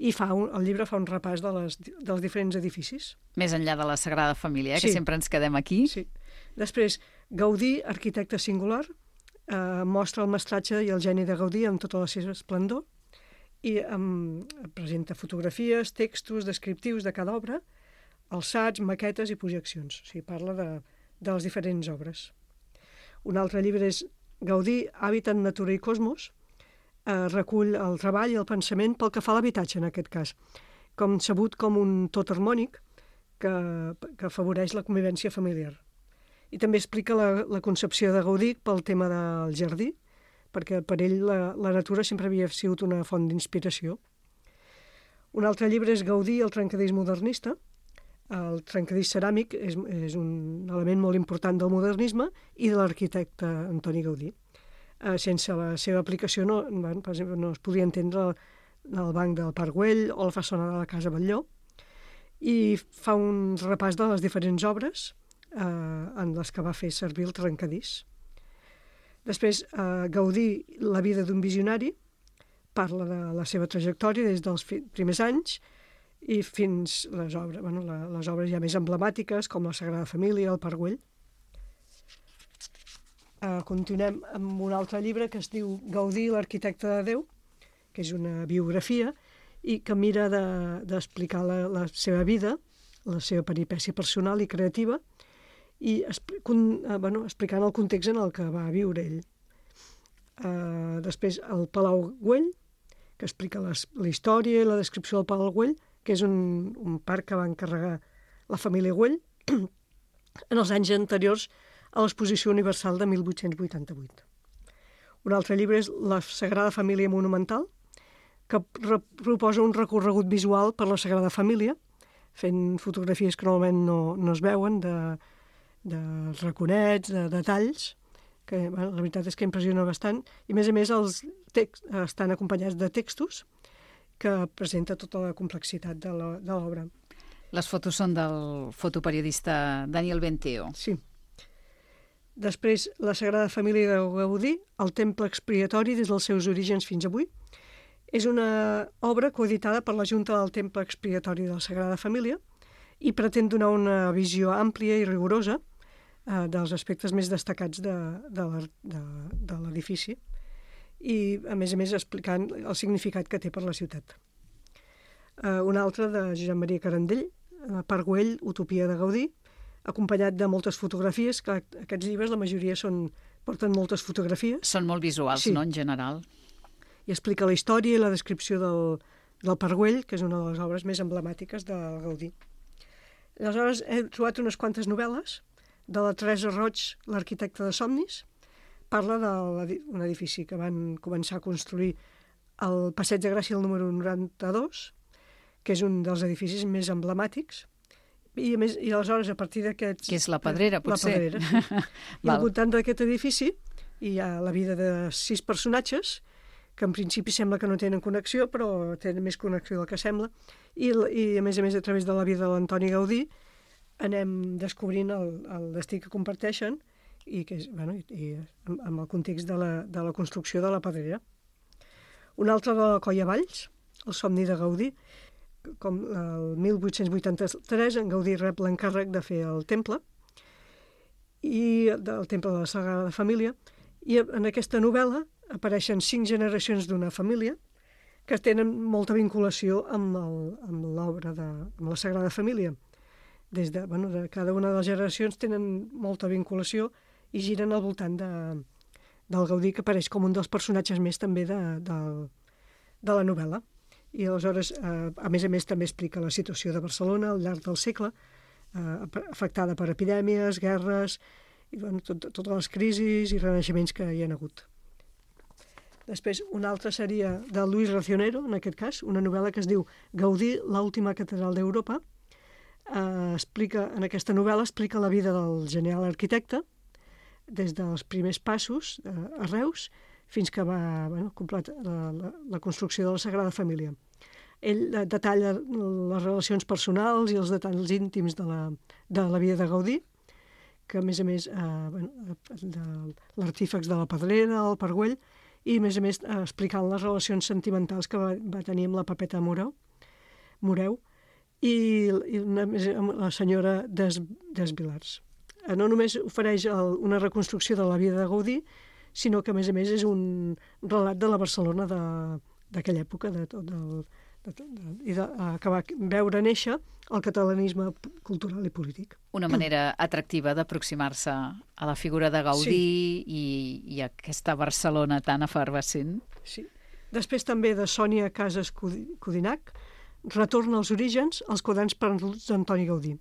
I fa un, el llibre fa un repàs de les, dels diferents edificis. Més enllà de la Sagrada Família, eh, sí. que sempre ens quedem aquí. Sí. Després, Gaudí, arquitecte singular, eh, mostra el mestratge i el geni de Gaudí amb tota la seva esplendor i eh, presenta fotografies, textos descriptius de cada obra, alçats, maquetes i projeccions. O sigui, parla de, de les diferents obres. Un altre llibre és Gaudí, Hàbitat, Natura i Cosmos, eh, recull el treball i el pensament pel que fa a l'habitatge, en aquest cas, com sabut com un tot harmònic que, que afavoreix la convivència familiar. I també explica la, la concepció de Gaudí pel tema del jardí, perquè per ell la, la natura sempre havia sigut una font d'inspiració. Un altre llibre és Gaudí, el trencadís modernista. El trencadís ceràmic és, és un element molt important del modernisme i de l'arquitecte Antoni Gaudí. Eh, sense la seva aplicació no, per exemple, no es podia entendre el, el banc del Parc Güell o la façana de la Casa Batlló, i fa un repàs de les diferents obres eh, en les que va fer servir el trencadís. Després, eh, Gaudí, la vida d'un visionari, parla de la seva trajectòria des dels primers anys i fins les obres, bueno, la, les obres ja més emblemàtiques, com la Sagrada Família, el Parc Güell. Uh, continuem amb un altre llibre que es diu Gaudí, l'arquitecte de Déu, que és una biografia i que mira d'explicar de, la, la seva vida, la seva peripècia personal i creativa, i con, uh, bueno, explicant el context en el que va viure ell. Uh, després, el Palau Güell, que explica les, la història i la descripció del Palau Güell, que és un, un parc que va encarregar la família Güell en els anys anteriors a l'Exposició Universal de mil vuit-cents vuitanta-vuit. Un altre llibre és La Sagrada Família Monumental, que proposa un recorregut visual per la Sagrada Família, fent fotografies que normalment no, no es veuen, de, de raconets, de detalls, que bueno, la veritat és que impressiona bastant, i a més a més els texts estan acompanyats de textos que presenta tota la complexitat de l'obra. Les fotos són del fotoperiodista Daniel Benteo. Sí. Després, la Sagrada Família de Gaudí, el temple expiatori des dels seus orígens fins avui. És una obra coeditada per la Junta del Temple Expiatori de la Sagrada Família i pretén donar una visió àmplia i rigorosa eh, dels aspectes més destacats de, de l'edifici i, a més a més, explicant el significat que té per la ciutat. Uh, un altre de Josep Maria Carandell, Parc Güell, Utopia de Gaudí, acompanyat de moltes fotografies, que aquests llibres, la majoria, són, porten moltes fotografies. Són molt visuals, Sí. no?, en general. I explica la història i la descripció del, del Parc Güell, que és una de les obres més emblemàtiques del Gaudí. Aleshores, he trobat unes quantes novel·les de la Teresa Roig, l'arquitecta de somnis. Parla d'un edifici que van començar a construir al Passeig de Gràcia, el número noranta-dos, que és un dels edificis més emblemàtics. I, a més, i aleshores, a partir d'aquests... Que és la Pedrera, potser. La Pedrera, sí. I al voltant d'aquest edifici hi ha la vida de sis personatges, que en principi sembla que no tenen connexió, però tenen més connexió del que sembla. I, i a més a més, a través de la vida de l'Antoni Gaudí, anem descobrint el, el destí que comparteixen i, que és, bueno, i, i amb, amb el context de la, de la construcció de la Pedrera. Un altre de la Colla Valls, El somni de Gaudí. Com el mil vuit-cents vuitanta-tres, en Gaudí rep l'encàrrec de fer el temple, i del temple de la Sagrada Família, i en aquesta novel·la apareixen cinc generacions d'una família que tenen molta vinculació amb l'obra de amb la Sagrada Família. Des de, bueno, de cada una de les generacions tenen molta vinculació i giren al voltant de, del Gaudí, que apareix com un dels personatges més també de, de, de la novel·la. I aleshores, eh, a més a més, també explica la situació de Barcelona al llarg del segle, eh, afectada per epidèmies, guerres, i bueno, tot, totes les crisis i renaixements que hi ha hagut. Després, una altra seria de Luis Racionero, en aquest cas, una novel·la que es diu Gaudí, l'última catedral d'Europa. Eh, explica, en aquesta novel·la explica la vida del genial arquitecte, des dels primers passos eh, a Reus, fins que va bueno, completar la, la, la construcció de la Sagrada Família. Ell detalla les relacions personals i els detalls íntims de la, de la vida de Gaudí, que a més a més eh, bueno, de l'artífex de la Pedrera, el Parc Güell, i a més a més eh, explicant les relacions sentimentals que va, va tenir amb la Pepeta Moreu, Moreu i, i una, amb la senyora Des, Desvilars. Eh, no només ofereix el, una reconstrucció de la vida de Gaudí, sinó que, a més a més, és un relat de la Barcelona d'aquella època, de tot el, de, de, i de, que va veure néixer el catalanisme cultural i polític. Una manera atractiva d'aproximar-se a la figura de Gaudí sí. i, i a aquesta Barcelona tan efervescent. Sí. Després també de Sònia Casas Codinac, Retorna als orígens, els quaderns perduts d'Antoni Gaudí.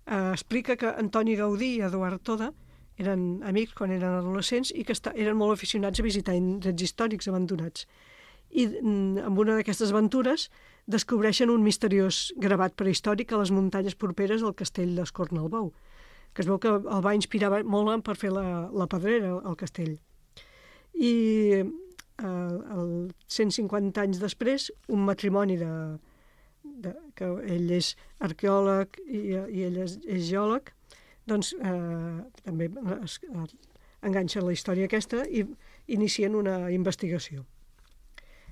Eh, explica que Antoni Gaudí i Eduard Toda eren amics quan eren adolescents i que eren molt aficionats a visitar indrets històrics abandonats. I amb una d'aquestes aventures descobreixen un misteriós gravat prehistòric a les muntanyes properes al castell d'Escornalbou, que es veu que el va inspirar molt per fer la, la Pedrera, el castell. I eh, el cent cinquanta anys després, un matrimoni de, de, que ell és arqueòleg i, i ell és, és geòleg, doncs eh, també es, eh, enganxen la història aquesta i inicien una investigació.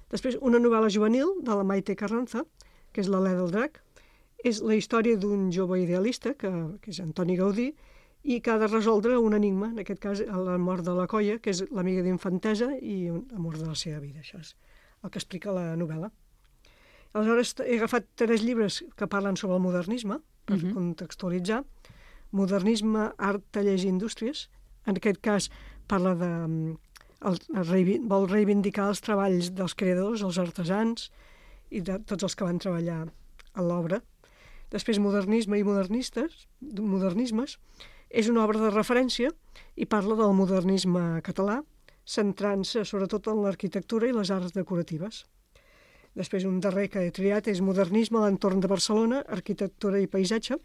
Després, una novel·la juvenil de la Maite Carranza, que és l'Alè del Drac, és la història d'un jove idealista, que, que és Antoni Gaudí, i que ha de resoldre un enigma, en aquest cas la mort de la Colla, que és l'amiga d'infantesa i l'amor de la seva vida. Això és el que explica la novel·la. Aleshores, he agafat tres llibres que parlen sobre el modernisme, per uh-huh. contextualitzar. Modernisme, art, tallers i indústries. En aquest cas parla de... El, el, vol reivindicar els treballs dels creadors, els artesans i de tots els que van treballar a l'obra. Després, modernisme i modernistes, modernismes, és una obra de referència i parla del modernisme català, centrant-se sobretot en l'arquitectura i les arts decoratives. Després, un darrer que he triat és modernisme a l'entorn de Barcelona, arquitectura i paisatge.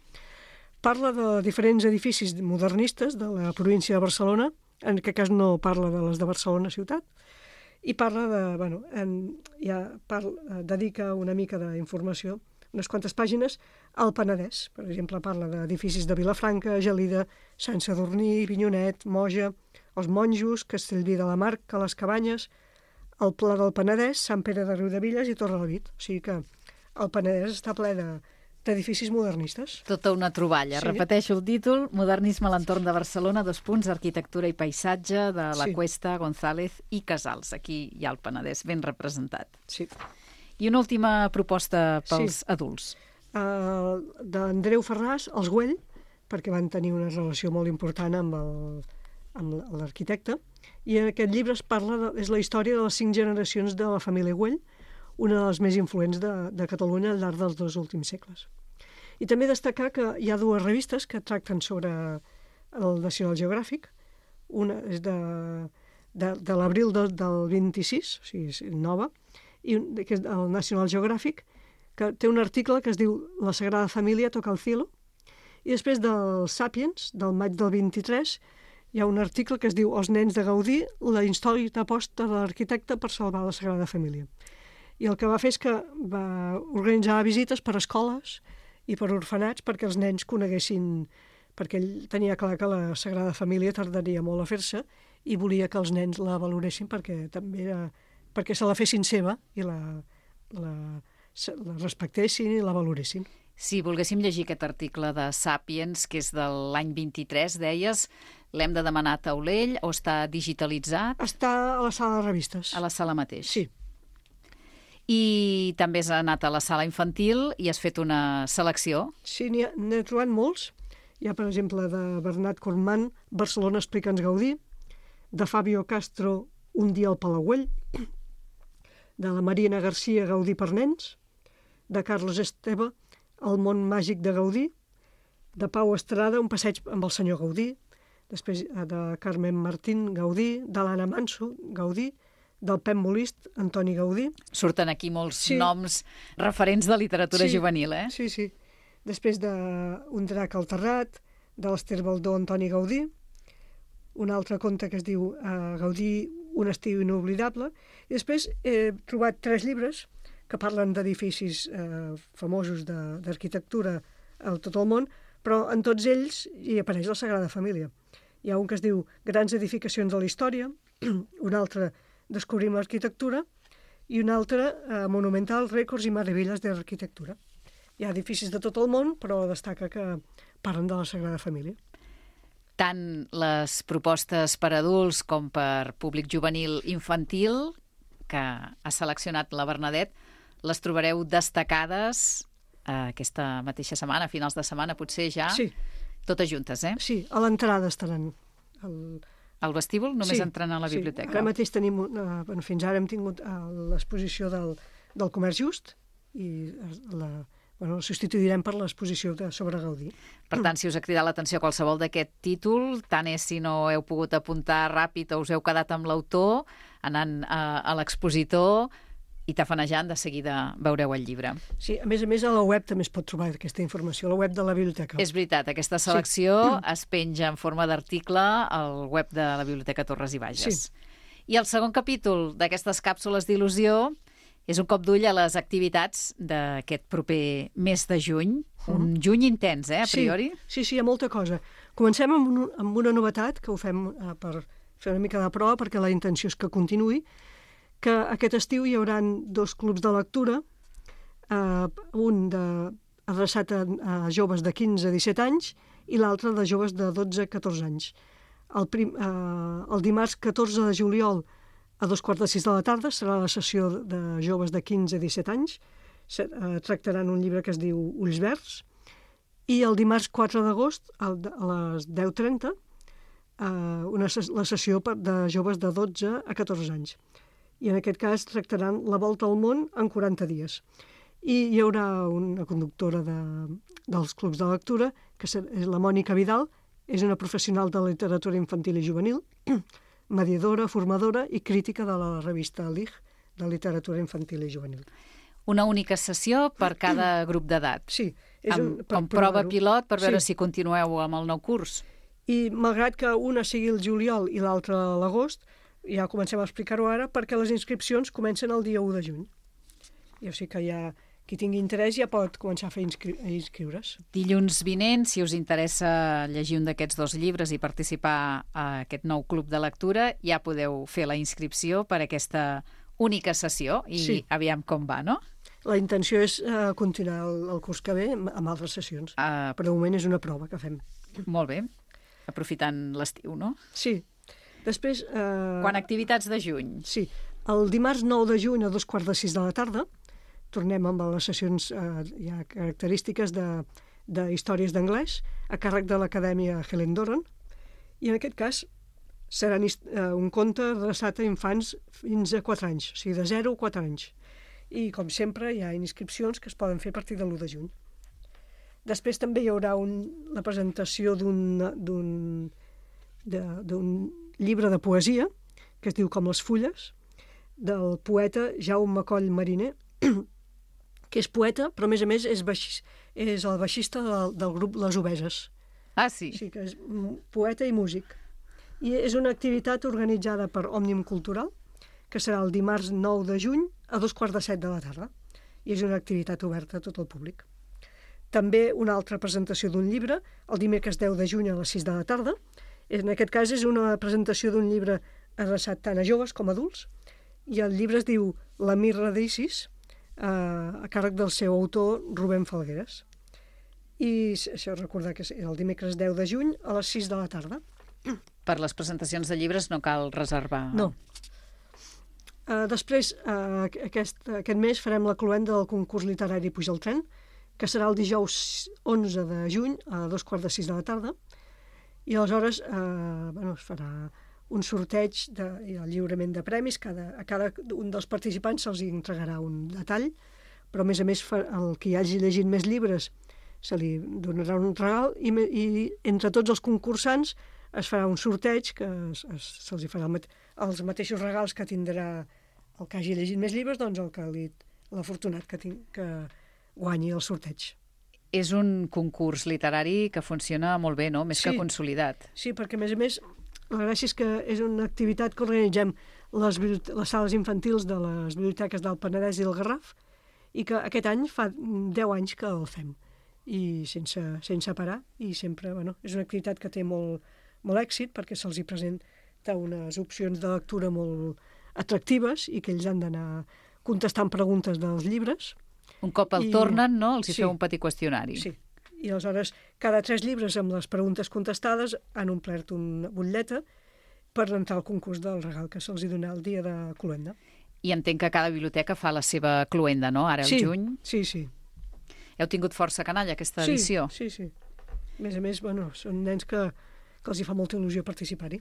Parla de diferents edificis modernistes de la província de Barcelona, en aquest cas no parla de les de Barcelona ciutat, i parla de, bueno, en, ja parla, dedica una mica d'informació, unes quantes pàgines, al Penedès. Per exemple, parla d'edificis de Vilafranca, Gelida, Sant Sadurní, Vinyonet, Moja, els Monjos, Castellví de la Marca, les Cabanyes, el Pla del Penedès, Sant Pere de Riudevilles i Torrelavit. O sigui que el Penedès està ple de d'edificis modernistes. Tota una troballa. Sí. Repeteixo el títol, Modernisme a l'entorn de Barcelona, dos punts, arquitectura i paisatge, de la sí. Cuesta, González i Casals. Aquí hi ha el Penedès ben representat. Sí. I una última proposta pels sí. adults. uh, d'Andreu Ferràs, Els Güell, perquè van tenir una relació molt important amb el, amb l'arquitecte, i en aquest llibre es parla de, és la història de les cinc generacions de la família Güell, una de les més influents de, de Catalunya al llarg dels dos últims segles. I també destacar que hi ha dues revistes que tracten sobre el National Geographic. Una és de, de, de l'abril de, del vint-i-sis, o sigui, és nova, i un, que és el National Geographic, que té un article que es diu La Sagrada Família toca el cielo, i després del Sapiens, del maig del vint-i-tres, hi ha un article que es diu Els nens de Gaudí, la insòlita aposta de l'arquitecte per salvar la Sagrada Família. I el que va fer és que va organitzar visites per escoles i per orfenats perquè els nens coneguessin, perquè ell tenia clar que la Sagrada Família tardaria molt a fer-se i volia que els nens la valoressin perquè també era, perquè se la fessin seva i la, la, la respectessin i la valoressin. Si volguéssim llegir aquest article de Sapiens, que és de l'any vint-i-tres, deies, l'hem de demanar a taulell o està digitalitzat? Està a la sala de revistes. A la sala mateix? Sí. I també has anat a la sala infantil i has fet una selecció? Sí, n'hi ha, n'he trobat molts. Hi ha, per exemple, de Bernat Cormán, Barcelona explica'ns Gaudí, de Fabio Castro, Un dia al Palauell, de la Marina Garcia, Gaudí per nens, de Carlos Esteve, El món màgic de Gaudí, de Pau Estrada, Un passeig amb el senyor Gaudí, després de Carmen Martín, Gaudí, de l'Anna Manso, Gaudí, del Pep Molist, Antoni Gaudí. Surten aquí molts sí. noms referents de literatura sí, juvenil, eh? Sí, sí. Després de Un drac al terrat, de l'Ester Baldó, Antoni Gaudí, un altre conte que es diu uh, Gaudí, un estiu inoblidable, i després he trobat tres llibres que parlen d'edificis eh, famosos d'arquitectura a tot el món, però en tots ells hi apareix la Sagrada Família. Hi ha un que es diu Grans edificacions de la història, un altre Descobrim l'arquitectura i un altre eh, Monumental, rècords i meravelles de l'arquitectura. Hi ha edificis de tot el món, però destaca que parlen de la Sagrada Família. Tant les propostes per adults com per públic juvenil infantil que ha seleccionat la Bernadette, les trobareu destacades eh, aquesta mateixa setmana, a finals de setmana, potser ja, sí. totes juntes, eh? Sí, a l'entrada estaran. El... Al vestíbul, només sí, entrant a la biblioteca? Sí, ara mateix tenim, uh, bueno, fins ara hem tingut uh, l'exposició del, del Comerç Just i la, bueno, la substituirem per l'exposició de, sobre Gaudí. Per tant, si us ha cridat l'atenció qualsevol d'aquest títol, tant és si no heu pogut apuntar ràpid o us heu quedat amb l'autor, anant a, a l'expositor i tafanejant, de seguida veureu el llibre. Sí, a més a més a la web també es pot trobar aquesta informació, a la web de la biblioteca. És veritat, aquesta selecció sí. es penja en forma d'article al web de la Biblioteca Torres i Bages. Sí. I el segon capítol d'aquestes càpsules d'il·lusió és un cop d'ull a les activitats d'aquest proper mes de juny, un mm. juny intens, eh, a priori? Sí, sí, sí, hi ha molta cosa. Comencem amb, un, amb una novetat, que ho fem eh, per fer una mica de prova, perquè la intenció és que continuï, que aquest estiu hi haurà dos clubs de lectura, eh, un de, adreçat a, a joves de quinze a disset anys i l'altre de joves de dotze a catorze anys. El, prim, eh, el dimarts catorze de juliol a dos quarts de sis de la tarda serà la sessió de joves de quinze a disset anys. Se, eh, tractaran un llibre que es diu Ulls verds. I el dimarts quatre d'agost a les deu trenta eh, una, la sessió de joves de dotze a catorze anys. I en aquest cas tractaran la volta al món en quaranta dies. I hi haurà una conductora de, dels clubs de lectura, que és la Mònica Vidal, és una professional de literatura infantil i juvenil, mediadora, formadora i crítica de la revista L I G, de literatura infantil i juvenil. Una única sessió per cada grup d'edat. Sí. És un, amb, com prova pilot per veure sí. si continueu amb el nou curs. I malgrat que una sigui el juliol i l'altra a l'agost, ja comencem a explicar-ho ara, perquè les inscripcions comencen el dia u de juny. I o sigui que ja, qui tingui interès ja pot començar a fer inscri a inscriure's. Dilluns vinent, si us interessa llegir un d'aquests dos llibres i participar a aquest nou club de lectura, ja podeu fer la inscripció per aquesta única sessió i sí. aviam com va, no? La intenció és uh, continuar el, el curs que ve amb, amb altres sessions, uh, però de moment és una prova que fem. Molt bé, aprofitant l'estiu, no? Sí. Després... Eh... Quan activitats de juny? Sí. El dimarts nou de juny a dos quarts de sis de la tarda tornem amb les sessions eh, ja característiques de, de històries d'anglès a càrrec de l'Acadèmia Helen Doran, i en aquest cas serà un conte adreçat a infants fins a quatre anys, o sigui, de zero a quatre anys. I, com sempre, hi ha inscripcions que es poden fer a partir de l'u de juny. Després també hi haurà un, la presentació d'un llibre de poesia, que es diu Com les fulles, del poeta Jaume Coll Mariner, que és poeta, però a més a més és, baix, és el baixista del, del grup Les Obeses. Ah, sí? Sí, que és poeta i músic. I és una activitat organitzada per Òmnium Cultural, que serà el dimarts nou de juny a dos quarts de set de la tarda. I és una activitat oberta a tot el públic. També una altra presentació d'un llibre, el dimecres deu de juny a les sis de la tarda. En aquest cas és una presentació d'un llibre adreçat tant a joves com a adults, i el llibre es diu La mirra d'Isis, eh, a càrrec del seu autor Rubén Falgueres. I això recordar que és el dimecres deu de juny a les sis de la tarda. Per les presentacions de llibres no cal reservar. No. Uh, després, uh, aquest, aquest mes farem la cloenda del concurs literari Puja al tren, que serà el dijous onze de juny a dos quarts de sis de la tarda, i aleshores eh, bueno, es farà un sorteig de, i el lliurament de premis. Cada, a cada un dels participants se'ls entregarà un detall, però a més a més el que hi hagi llegit més llibres se li donarà un regal, i, i entre tots els concursants es farà un sorteig que se'ls farà el, els mateixos regals que tindrà el que hagi llegit més llibres, doncs el que li, l'afortunat que, tin, que guanyi el sorteig. És un concurs literari que funciona molt bé, no? Més sí, que consolidat. Sí, perquè a més a més la gràcia és que és una activitat que organitzem les, les sales infantils de les biblioteques del Penedès i del Garraf, i que aquest any fa deu anys que el fem, i sense, sense parar, i sempre, bueno, és una activitat que té molt, molt èxit, perquè se'ls hi presenta unes opcions de lectura molt atractives i que ells han d'anar contestant preguntes dels llibres. Un cop el I... tornen, no? Els hi sí, feu un petit qüestionari. Sí, i aleshores cada tres llibres amb les preguntes contestades han omplert una butlleta per entrar al concurs del regal que se'ls hi dona el dia de cloenda. I entenc que cada biblioteca fa la seva cloenda, no? Ara, sí, el juny. Sí, sí. Heu tingut força canalla aquesta edició? Sí, sí, sí. A més a més, bueno, són nens que, que els hi fa molta il·lusió participar-hi.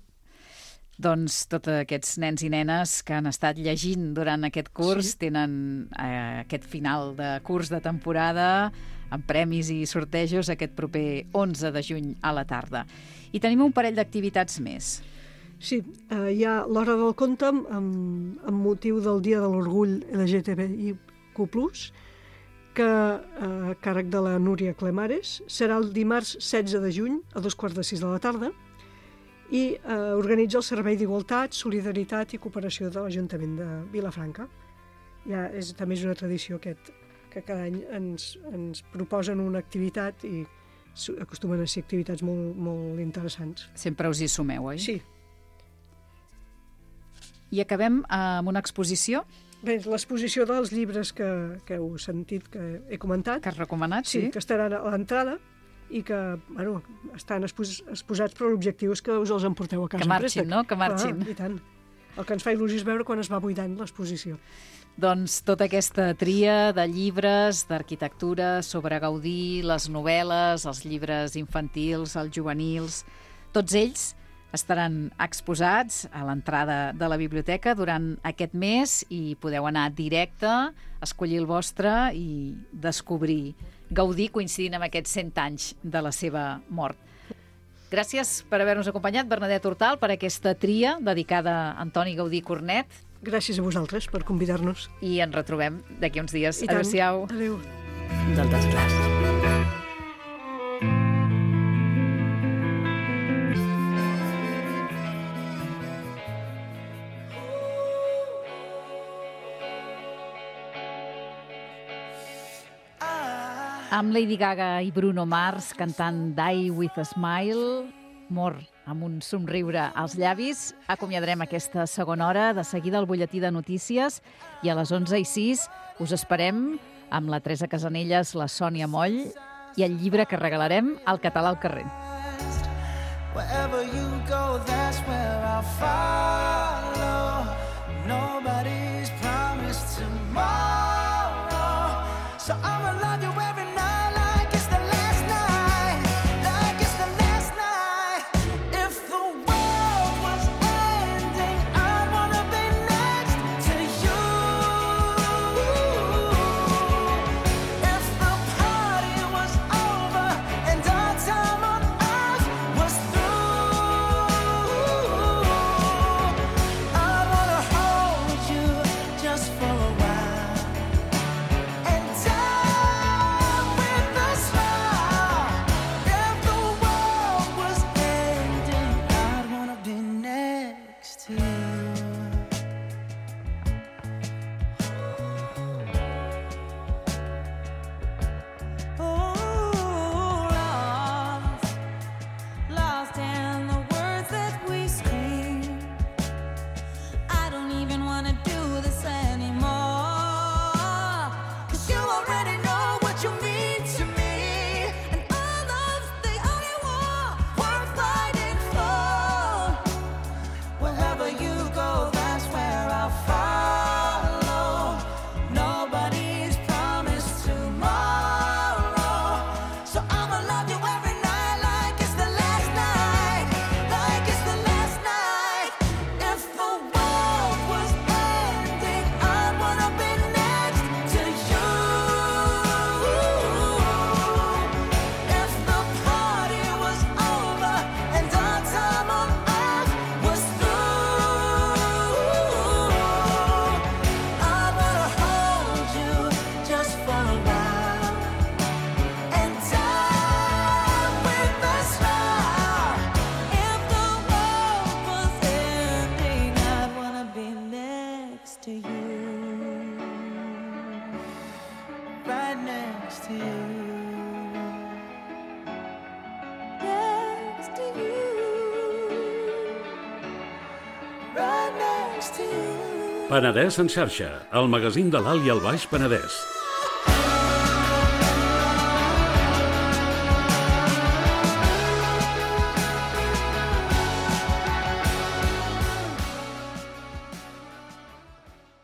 Doncs tots aquests nens i nenes que han estat llegint durant aquest curs sí. tenen eh, aquest final de curs de temporada amb premis i sortejos aquest proper onze de juny a la tarda. I tenim un parell d'activitats més. Sí, eh, hi ha l'Hora del Conte amb, amb motiu del Dia de l'Orgull L G T B I Q plus, que eh, a càrrec de la Núria Clemares serà el dimarts setze de juny a dos quarts de sis de la tarda, i eh, organitza el Servei d'Igualtat, Solidaritat i Cooperació de l'Ajuntament de Vilafranca. Ja és, també és una tradició aquest, que cada any ens, ens proposen una activitat i acostumen a ser activitats molt, molt interessants. Sempre us hi sumeu, oi? Sí. I acabem amb una exposició? Bé, l'exposició dels llibres que, que heu sentit, que he comentat. Que has recomanat, sí. Sí, que estaran a l'entrada i que bueno, estan expos, exposats per l'objectiu que us els emporteu a casa. Que marxin, no? Que marxin. Ah, i tant. El que ens fa il·lusió és veure quan es va buidant l'exposició. Doncs tota aquesta tria de llibres, d'arquitectura, sobre Gaudí, les novel·les, els llibres infantils, els juvenils, tots ells estaran exposats a l'entrada de la biblioteca durant aquest mes i podeu anar directe, escollir el vostre i descobrir Gaudí coincidint amb aquests cent anys de la seva mort. Gràcies per haver-nos acompanyat, Bernadette Hortal, per aquesta tria dedicada a Antoni Gaudí Cornet. Gràcies a vosaltres per convidar-nos. I ens retrobem d'aquí uns dies. I tant. Adéu-siau. Adéu. Del desclàs. Amb Lady Gaga i Bruno Mars cantant Die With a Smile, mort amb un somriure als llavis, acomiadarem aquesta segona hora. De seguida el butlletí de notícies i a les onze i sis us esperem amb la Teresa Casanelles, la Sònia Moll i el llibre que regalarem al Català al carrer. Wherever you go, that's where I'll follow. Nobody's promised tomorrow. So I'ma love you every night like it's the last night, like it's the last night. If the world was ending, I'd wanna be next to you. If the party was over and our time on earth was through, I'd wanna hold you just for a while and die with a smile. If the world was ending, I'd wanna be next to you. Oh, lost, lost in the words that we scream. I don't even wanna do this anymore, 'cause you already know what you mean to me, and all love's the only war worth fighting for. Wherever you go, that's where I'll follow. Nobody's promised tomorrow, so I'ma love you every night like it's the last night, like it's the last night. If the world was ending, I'd wanna be next to you. If the party was over and our time on earth was through, I'd wanna hold you just for a while and die with a smile. If the world was ending, I'd wanna be next to you, right next to you, next to you, right next to you. Penedès en xarxa, el magazín de l'Alt i el Baix Penedès.